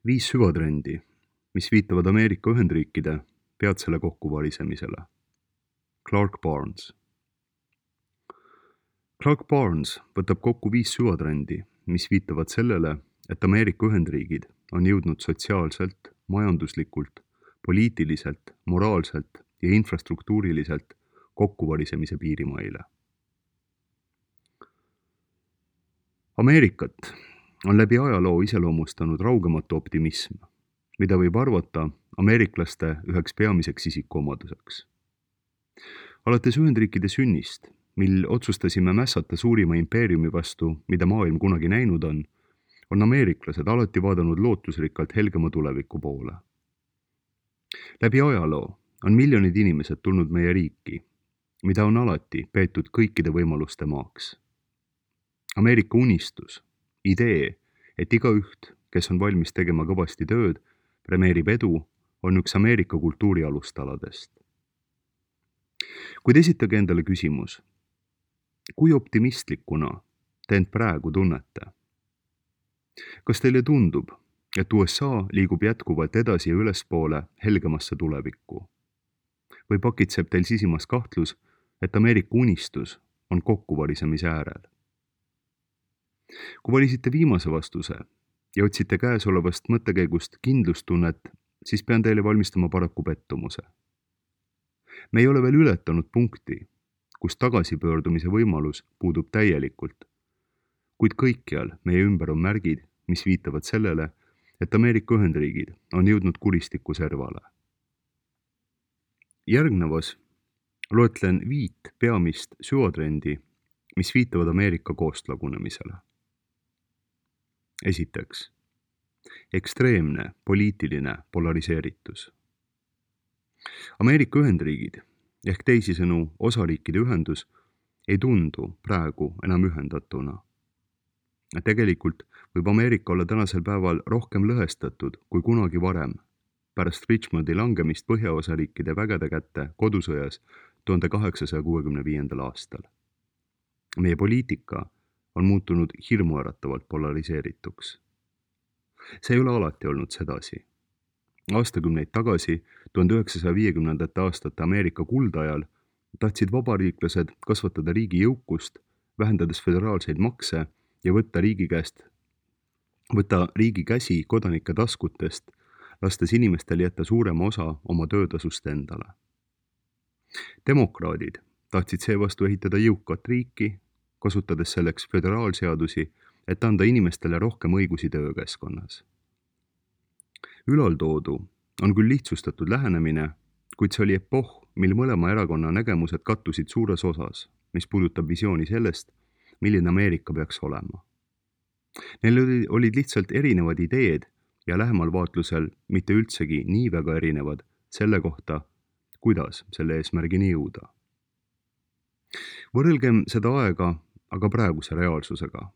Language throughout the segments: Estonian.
5 süvatrendi, mis viitavad Ameerika Ühendriikide peatsele kokkuvarisemisele. Clark Barnes. Clark Barnes võtab kokku 5 süvatrendi, mis viitavad sellele, et Ameerika Ühendriigid on jõudnud sotsiaalselt, majanduslikult, poliitiliselt, moraalselt ja infrastruktuuriliselt kokkuvarisemise piirimaile. Ameerikat on läbi ajaloo iseloomustanud raugematu optimism, mida võib arvata ameeriklaste üheks peamiseks isikuomaduseks. Alates Ühendriikide sünnist, mil otsustasime mässata suurima impeeriumi vastu, mida maailm kunagi näinud on ameeriklased alati vaadanud lootusrikkalt helgema tuleviku poole. Läbi ajaloo on miljonid inimesed tulnud meie riiki, mida on alati peetud kõikide võimaluste maaks. Ameerika unistus, idee, et igaüht, kes on valmis tegema kõvasti tööd, premeerib edu, on üks Ameerika kultuuri alustaladest. Kuid esitage endale küsimus, kui optimistlikuna te end praegu tunnete? Kas teile tundub, et USA liigub jätkuvalt edasi ja ülespoole helgemasse tulevikku? Või pakitseb teil sisimas kahtlus, et Ameerika unistus on kokkuvarisemise äärel? Kui valisite viimase vastuse ja otsite käesolevast mõttekäigust kindlustunnet, siis pean teile valmistama paraku pettumuse. Me ei ole veel ületanud punkti, kus tagasipöördumise võimalus puudub täielikult, kuid kõikjal meie ümber on märgid, mis viitavad sellele, et Ameerika Ühendriigid on jõudnud kuristiku servale. Järgnevas loetlen 5 peamist süvatrendi, mis viitavad Ameerika koostlagunemisele. Esiteks, ekstreemne poliitiline polariseeritus. Ameerika Ühendriigid ehk teisisõnu osariikide ühendus ei tundu praegu enam ühendatuna. Tegelikult võib Ameerika olla tänasel päeval rohkem lõhestatud kui kunagi varem, pärast Richmondi langemist põhjaosariikide vägede kätte kodusõjas 1865. aastal. Meie poliitika on muutunud hirmuäratavalt polariseerituks. See ei ole alati olnud sedasi. Aastakümneid tagasi, 1950. aastate Ameerika kuldajal, tahtsid vabariiklased kasvatada riigi jõukust, vähendades föderaalseid makse ja võtta riigi käsi kodanike taskutest, lastes inimestel jätta suurema osa oma töötasust endale. Demokraadid tahtsid seevastu ehitada jõukat riiki, kasutades selleks föderaalseadusi, et anda inimestele rohkem õigusi töökeskkonnas. Ülaltoodu on küll lihtsustatud lähenemine, kuid see oli epohh, mil mõlema erakonna nägemused kattusid suures osas, mis puudutab visiooni sellest, milline Ameerika peaks olema. Neil olid lihtsalt erinevad ideed ja lähemal vaatlusel mitte üldsegi nii väga erinevad selle kohta, kuidas selle eesmärgini jõuda. Võrrelgem seda aega aga praeguse reaalsusega.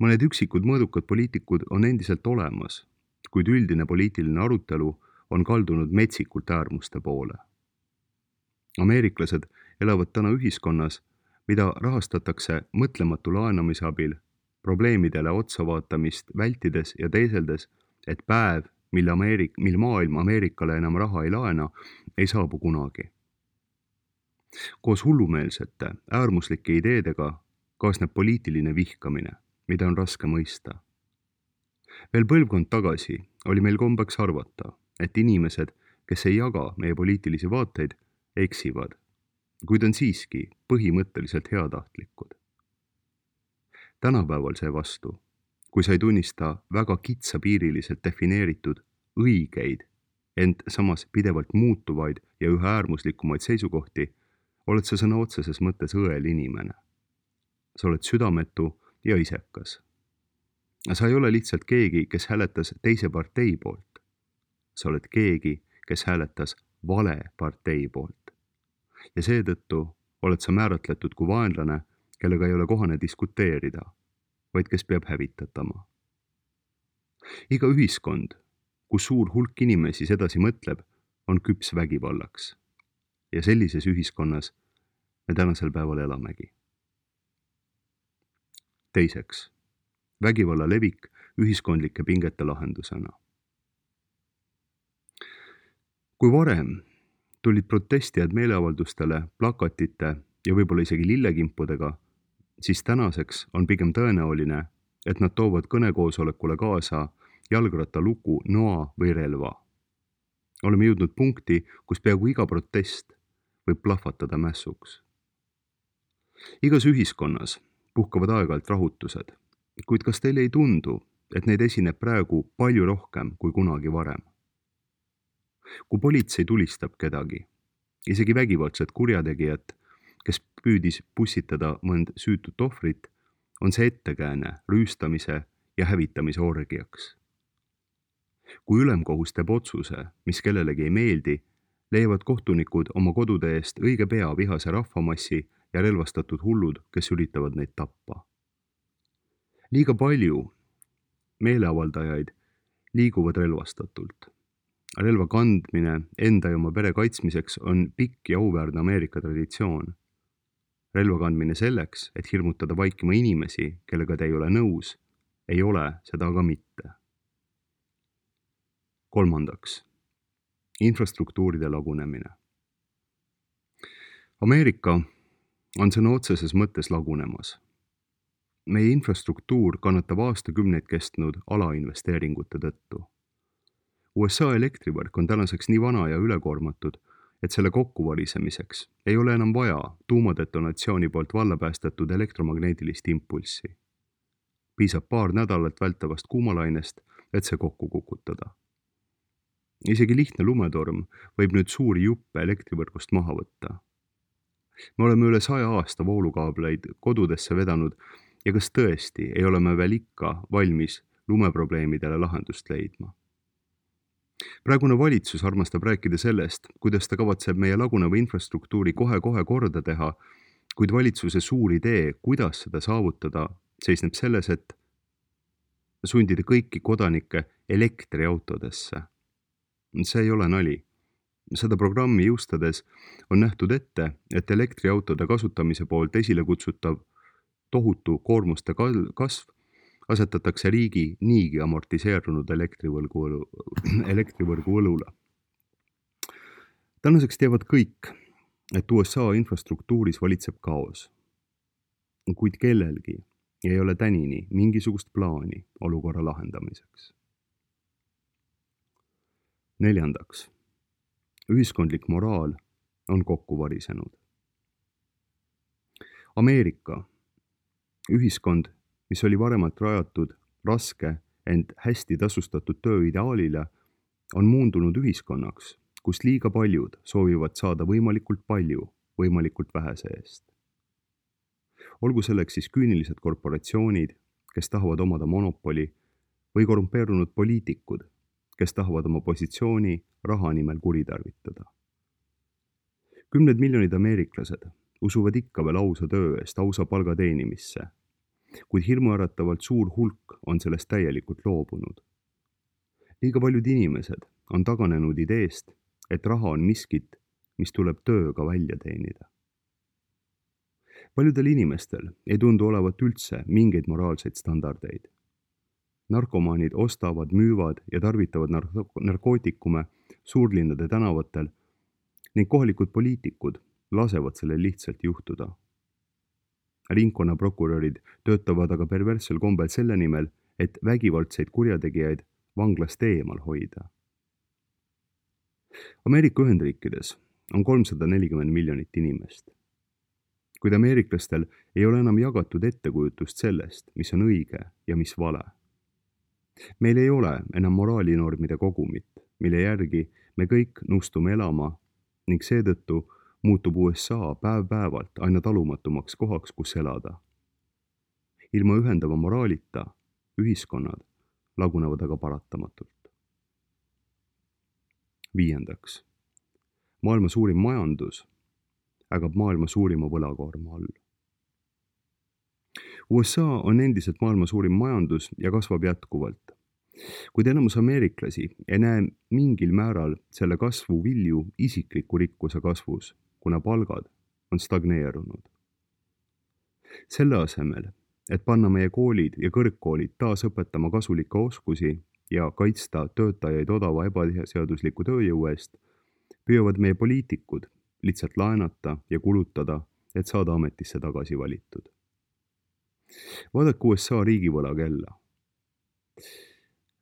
Mõned üksikud mõõdukad poliitikud on endiselt olemas, kuid üldine poliitiline arutelu on kaldunud metsikult äärmuste poole. Ameeriklased elavad täna ühiskonnas, mida rahastatakse mõtlematu laenamise abil, probleemidele otsavaatamist vältides ja teeseldes, et päev, mil maailm Ameerikale enam raha ei laena, ei saabu kunagi. Koos hullumeelsete, äärmuslike ideedega kaasneb poliitiline vihkamine, mida on raske mõista. Veel põlvkond tagasi oli meil kombeks arvata, et inimesed, kes ei jaga meie poliitilisi vaateid, eksivad, kuid on siiski põhimõtteliselt heatahtlikud. Tänapäeval seevastu, kui sa ei tunnista väga kitsapiiriliselt defineeritud õigeid, ent samas pidevalt muutuvaid ja üha äärmuslikumaid seisukohti, oled sa sõna otseses mõttes õel inimene. Sa oled südametu ja isekas. Sa ei ole lihtsalt keegi, kes hääletas teise partei poolt. Sa oled keegi, kes hääletas vale partei poolt. Ja seetõttu oled sa määratletud kui vaenlane, kellega ei ole kohane diskuteerida, vaid kes peab hävitatama. Iga ühiskond, kus suur hulk inimesi sedasi mõtleb, on küps vägivallaks. Ja sellises ühiskonnas me tänasel päeval elamegi. Teiseks, vägivalla levik ühiskondlike pingete lahendusena. Kui varem tulid protestijad meeleavaldustele plakatite ja võib-olla isegi lillekimpudega, siis tänaseks on pigem tõenäoline, et nad toovad kõnekoosolekule kaasa jalgrattaluku, noa või relva. Oleme jõudnud punkti, kus peaaegu iga protest võib plahvatada mässuks. Igas ühiskonnas puhkavad aeg-ajalt rahutused, kuid kas teile ei tundu, et neid esineb praegu palju rohkem kui kunagi varem? Kui politsei tulistab kedagi, isegi vägivaldset kurjategijat, kes püüdis pussitada mõnd süütut ohvrit, on see ettekääne rüüstamise ja hävitamise orgiaks. Kui ülemkohus teeb otsuse, mis kellelegi ei meeldi, leiavad kohtunikud oma kodude eest õige pea vihase rahvamassi ja relvastatud hullud, kes üritavad neid tappa. Liiga palju meeleavaldajaid liiguvad relvastatult. Relva kandmine enda ja oma pere kaitsmiseks on pikk ja auväärne Ameerika traditsioon. Relva kandmine selleks, et hirmutada vaikima inimesi, kellega te ei ole nõus, ei ole seda aga mitte. 3. Infrastruktuuride lagunemine. Ameerika on sõna otseses mõttes lagunemas. Meie infrastruktuur kannatab aastakümneid kestnud alainvesteeringute tõttu. USA elektrivõrk on tänaseks nii vana ja ülekoormatud, et selle kokkuvarisemiseks ei ole enam vaja tuumadetonatsiooni poolt vallapäästetud elektromagneetilist impulssi. Piisab paar nädalat vältavast kuumalainest, et see kokku kukutada. Isegi lihtne lumetorm võib nüüd suuri juppe elektrivõrgust maha võtta. Me oleme üle 100 aasta voolukaableid kodudesse vedanud ja kas tõesti ei ole me veel ikka valmis lumeprobleemidele lahendust leidma? Praegune valitsus armastab rääkida sellest, kuidas ta kavatseb meie laguneva infrastruktuuri kohe-kohe korda teha, kuid valitsuse suur idee, kuidas seda saavutada, seisneb selles, et sundida kõiki kodanikke elektriautodesse. See ei ole nali. Seda programmi jõustades on nähtud ette, et elektriautode kasutamise poolt esile kutsutav tohutu koormuste kasv asetatakse riigi niigi amortiseerunud elektrivõrgu õlule. Tänaseks teavad kõik, et USA infrastruktuuris valitseb kaos. Kuid kellelgi ei ole tänini mingisugust plaani olukorra lahendamiseks. 4. Ühiskondlik moraal on kokku varisenud. Ameerika ühiskond, mis oli varemalt rajatud raske, ent hästi tasustatud töö ideaalile, on muundunud ühiskonnaks, kus liiga paljud soovivad saada võimalikult palju, võimalikult vähese eest. Olgu selleks siis küünilised korporatsioonid, kes tahavad omada monopoli, või korrumpeerunud poliitikud, kes tahavad oma positsiooni raha nimel kuritarvitada. 10 miljonid ameeriklased usuvad ikka veel ausa töö eest ausa palga teenimisse, kuid hirmuäratavalt suur hulk on sellest täielikult loobunud. Liiga paljud inimesed on taganenud ideest, et raha on miskit, mis tuleb tööga välja teenida. Paljudel inimestel ei tundu olevat üldse mingeid moraalseid standardeid. Narkomaanid ostavad, müüvad ja tarvitavad narkootikume suurlinnade tänavatel ning kohalikud poliitikud lasevad sellel lihtsalt juhtuda. Ringkonnaprokurörid töötavad aga perverssel kombel selle nimel, et vägivaldseid kurjategijaid vanglast eemal hoida. Ameerika Ühendriikides on 340 miljonit inimest. Kuid ameeriklastel ei ole enam jagatud ettekujutust sellest, mis on õige ja mis vale. Meil ei ole enam moraalinormide kogumit, mille järgi me kõik nõustume elama ning seetõttu muutub USA päev-päevalt aina talumatumaks kohaks, kus elada. Ilma ühendava moraalita ühiskonnad lagunevad aga paratamatult. 5. Maailma suurim majandus ägab maailma suurima võlakoorma all. USA on endiselt maailma suurim majandus ja kasvab jätkuvalt, kuid enamus ameeriklasi ei näe mingil määral selle kasvu vilju isikliku rikkuse kasvus, kuna palgad on stagneerunud. Selle asemel, et panna meie koolid ja kõrgkoolid taas õpetama kasulikke oskusi ja kaitsta töötajaid odava ebaseadusliku tööjõu eest, püüavad meie poliitikud lihtsalt laenata ja kulutada, et saada ametisse tagasi valitud. Vaadake USA riigivõla kella.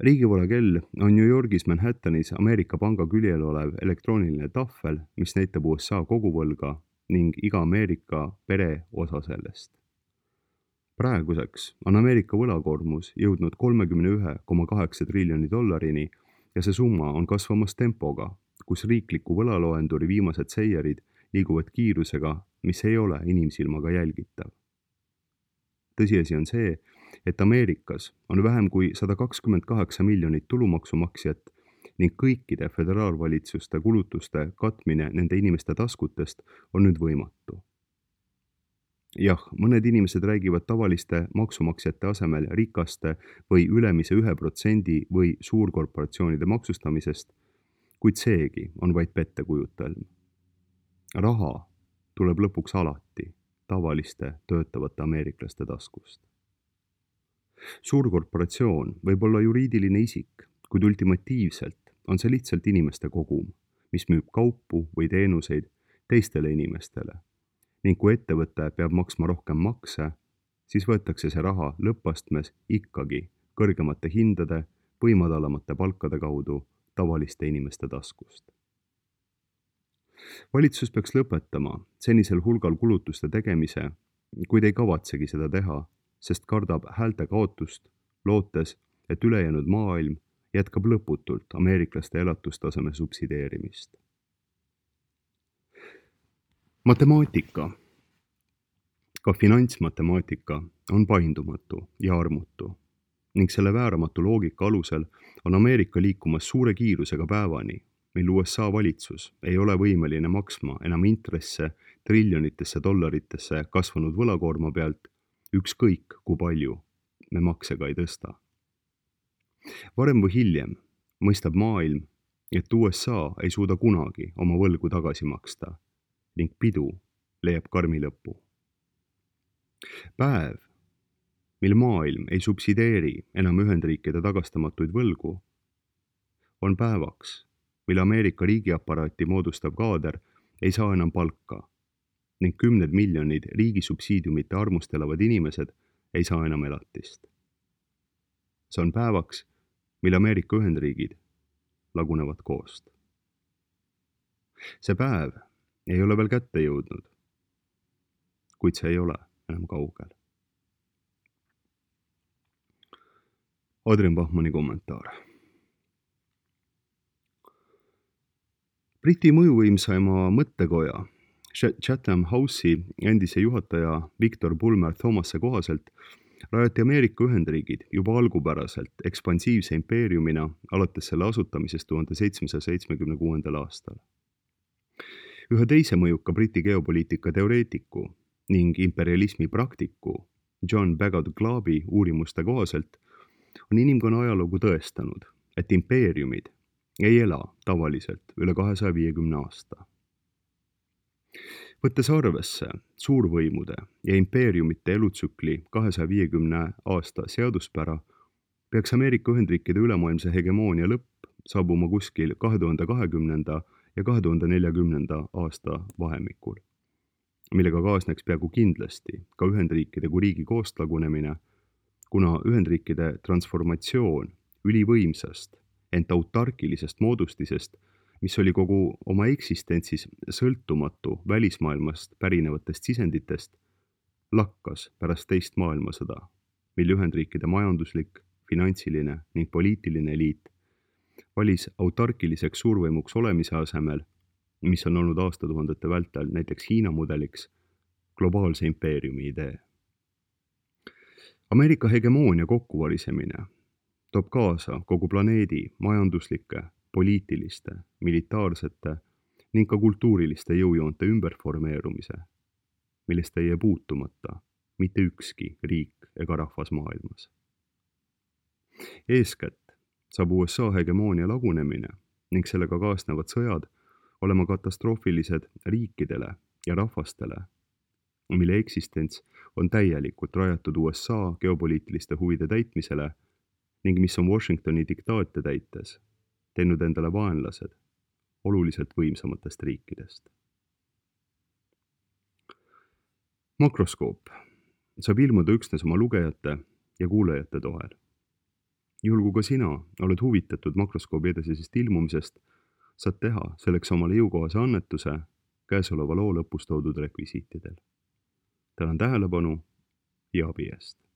Riigivõla kell on New Yorgis Manhattanis Ameerika panga küljel olev elektrooniline tahvel, mis näitab USA koguvõlga ning iga Ameerika pere osa sellest. Praeguseks on Ameerika võlakoormus jõudnud $31,8 triljoni ja see summa on kasvamas tempoga, kus riikliku võlaloenduri viimased seierid liiguvad kiirusega, mis ei ole inimsilmaga jälgitav. Tõsiasi on see, et Ameerikas on vähem kui 128 miljonit tulumaksumaksjat ning kõikide föderaalvalitsuste kulutuste katmine nende inimeste taskutest on nüüd võimatu. Jah, mõned inimesed räägivad tavaliste maksumaksjate asemel rikaste või ülemise 1% või suurkorporatsioonide maksustamisest, kuid seegi on vaid pettekujutelm. Raha tuleb lõpuks alati tavaliste töötavate ameeriklaste taskust. Suurkorporatsioon võib olla juriidiline isik, kuid ultimatiivselt on see lihtsalt inimeste kogum, mis müüb kaupu või teenuseid teistele inimestele. Ning kui ettevõte peab maksma rohkem makse, siis võetakse see raha lõppastmes ikkagi kõrgemate hindade või madalamate palkade kaudu tavaliste inimeste taskust. Valitsus peaks lõpetama senisel hulgal kulutuste tegemise, kuid ei kavatsegi seda teha, sest kardab häälte kaotust, lootes, et ülejäänud maailm jätkab lõputult ameeriklaste elatustaseme subsideerimist. Matemaatika, ka finantsmatemaatika on paindumatu ja armutu ning selle vääramatu loogika alusel on Ameerika liikumas suure kiirusega päevani, mil USA valitsus ei ole võimeline maksma enam intresse triljonitesse dollaritesse kasvanud võlakoorma pealt, ükskõik kui palju me makse ka ei tõsta. Varem või hiljem mõistab maailm, et USA ei suuda kunagi oma võlgu tagasi maksta ning pidu leiab karmi lõpu. Päev, mil maailm ei subsideeri enam Ühendriikide tagastamatuid võlgu, on päevaks, mil Ameerika riigiaparaati moodustav kaader ei saa enam palka ning 10 miljonid riigi subsiidiumite armust elavad inimesed ei saa enam elatist. See on päevaks, mil Ameerika Ühendriigid lagunevad koost. See päev ei ole veel kätte jõudnud, kuid see ei ole enam kaugel. Adrian Bachmanni kommentaar. Briti mõjuvõimsaima mõttekoja Chatham House'i endise juhataja Victor Bulmer Thomase kohaselt rajati Ameerika Ühendriigid juba algupäraselt ekspansiivse impeeriumina alates selle asutamisest 1776. aastal. Ühe teise mõjuka Briti geopoliitika teoreetiku ning imperialismi praktiku John Baggot Glabi uurimuste kohaselt on inimkonna ajalugu tõestanud, et impeeriumid ei ela tavaliselt üle 250 aasta. Võttes arvesse suurvõimude ja impeeriumite elutsükli 250 aasta seaduspära, peaks Ameerika Ühendriikide ülemaailmse hegemoonia lõpp saabuma kuskil 2020. ja 2040. aasta vahemikul, millega kaasneks peaaegu kindlasti ka Ühendriikide kui riigi koostlagunemine, kuna Ühendriikide transformatsioon ülivõimsast, ent autarkilisest moodustisest, mis oli kogu oma eksistentsis sõltumatu välismaailmast pärinevatest sisenditest, lakkas pärast teist maailmasõda, mil Ühendriikide majanduslik, finantsiline ning poliitiline eliit valis autarkiliseks suurvõimuks olemise asemel, mis on olnud aastatuhandete vältel näiteks Hiina mudeliks, globaalse impeeriumi idee. Ameerika hegemoonia kokkuvarisemine toob kaasa kogu planeedi majanduslike, poliitiliste, militaarsete ning ka kultuuriliste jõujoonte ümberformeerumise, millest ei jää puutumata mitte ükski riik ega rahvas maailmas. Eeskätt saab USA hegemoonia lagunemine ning sellega kaasnevad sõjad olema katastroofilised riikidele ja rahvastele, mille eksistents on täielikult rajatud USA geopoliitiliste huvide täitmisele ning mis on Washingtoni diktaate täites teinud endale vaenlased oluliselt võimsamatest riikidest. Makroskoop saab ilmuda üksnes oma lugejate ja kuulajate toel. Juhul kui ka sina oled huvitatud makroskoobi edasisest ilmumisest, saad teha selleks omale jõukohase annetuse käesoleva loo lõpus toodud rekvisiitidel. Tänan tähelepanu ja abi eest!